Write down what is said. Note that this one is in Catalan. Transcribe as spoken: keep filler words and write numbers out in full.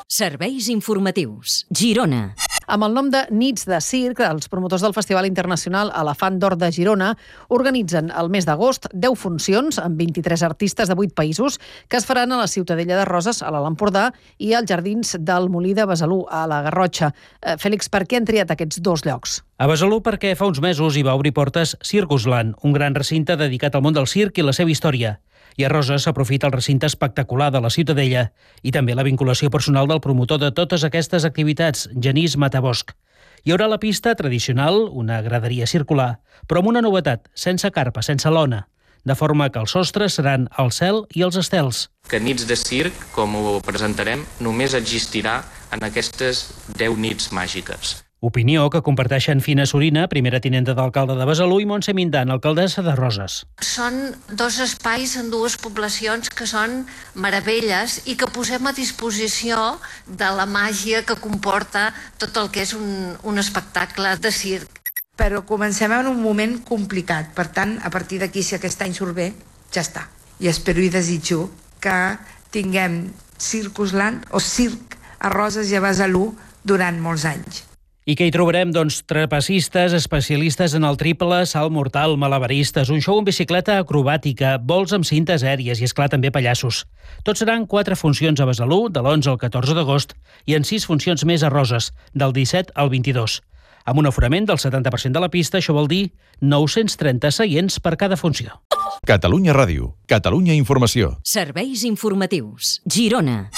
Serveis informatius. Girona. Amb el nom de Nits de Circ, els promotors del Festival Internacional Elefant d'Or de Girona organitzen el mes d'agost deu funcions amb vint-i-tres artistes de vuit països que es faran a la Ciutadella de Roses, a l'Alt Empordà, i als Jardins del Molí de Besalú, a la Garrotxa. Eh, Fèlix, per què han triat aquests dos llocs? A Besalú perquè fa uns mesos hi va obrir portes Circusland, un gran recinte dedicat al món del circ i la seva història. I a Roses s'aprofita el recinte espectacular de la Ciutadella i també la vinculació personal del promotor de totes aquestes activitats, Genís Matabosc. Hi haurà la pista tradicional, una graderia circular, però amb una novetat, sense carpa, sense lona, de forma que els sostres seran el cel i els estels. Que Nits de Circ, com ho presentarem, només existirà en aquestes deu nits màgiques. Opinió que comparteixen Fina Sorina, primera tinenta d'alcalde de Besalú, i Montse Mindan, alcaldessa de Roses. Són dos espais en dues poblacions que són meravelles i que posem a disposició de la màgia que comporta tot el que és un, un espectacle de circ. Però comencem en un moment complicat, per tant, a partir d'aquí, si aquest any surt bé, ja està. I espero i desitjo que tinguem Circusland o circ a Roses i a Besalú durant molts anys. I què hi trobarem? Doncs trapecistes, especialistes en el triple, salt mortal, malabaristes, un show en bicicleta acrobàtica, vols amb cintes aèries i, esclar, també pallassos. Tots seran quatre funcions a Besalú, de l'onze al catorze d'agost, i en sis funcions més a Roses, del disset al vint-i-dos. Amb un aforament del setanta per cent de la pista, això vol dir nou-cents trenta seients per cada funció. Catalunya Ràdio, Catalunya Informació. Serveis informatius. Girona.